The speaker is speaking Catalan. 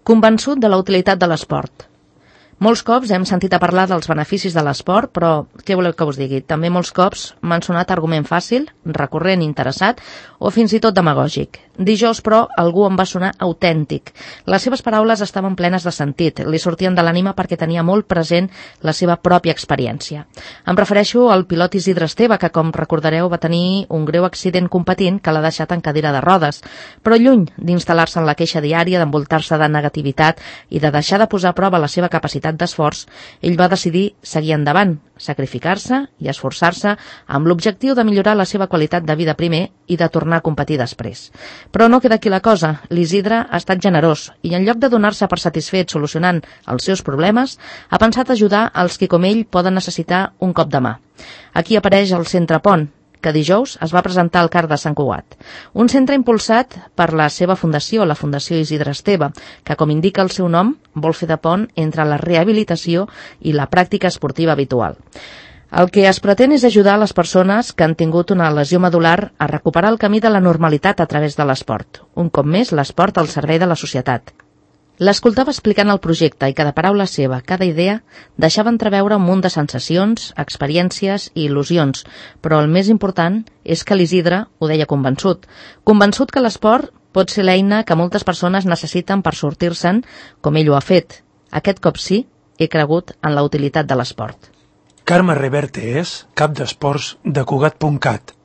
Convençut de la utilitat de l'esport. Molts cops hem sentit a parlar dels beneficis de l'esport, però què voleu que us digui? També molts cops m'han sonat argument fàcil, recurrent, interessat o fins i tot demagògic. Dijous, però, algú em va sonar autèntic. Les seves paraules estaven plenes de sentit, li sortien de l'ànima perquè tenia molt present la seva pròpia experiència. Em refereixo al pilot Isidre Esteve, que, com recordareu, va tenir un greu accident competint que l'ha deixat en cadira de rodes, però lluny d'instal·lar-se en la queixa diària, d'envoltar-se de negativitat i de deixar de posar a prova la seva capacitat d'esforç, ell va decidir seguir endavant, sacrificar-se i esforçar-se amb l'objectiu de millorar la seva qualitat de vida primer i de tornar a competir després. Però no queda aquí la cosa. L'Isidre ha estat generós i en lloc de donar-se per satisfet solucionant els seus problemes, ha pensat ajudar els que com ell poden necessitar un cop de mà. Aquí apareix el Centre Pont, que dijous es va presentar al CAR de Sant Cugat. Un centre impulsat per la seva fundació, la Fundació Isidre Esteve, que, com indica el seu nom, vol fer de pont entre la rehabilitació i la pràctica esportiva habitual. El que es pretén és ajudar les persones que han tingut una lesió medular a recuperar el camí de la normalitat a través de l'esport. Un cop més, l'esport al servei de la societat. L'escoltava explicant el projecte i cada paraula seva, cada idea, deixava entreveure un munt de sensacions, experiències i il·lusions, però el més important és que l'Isidre ho deia convençut que l'esport pot ser l'eina que moltes persones necessiten per sortir-se'n, com ell ho ha fet. Aquest cop sí, he cregut en la utilitat de l'esport. Carme Reverte és cap d'esports de Cugat.cat.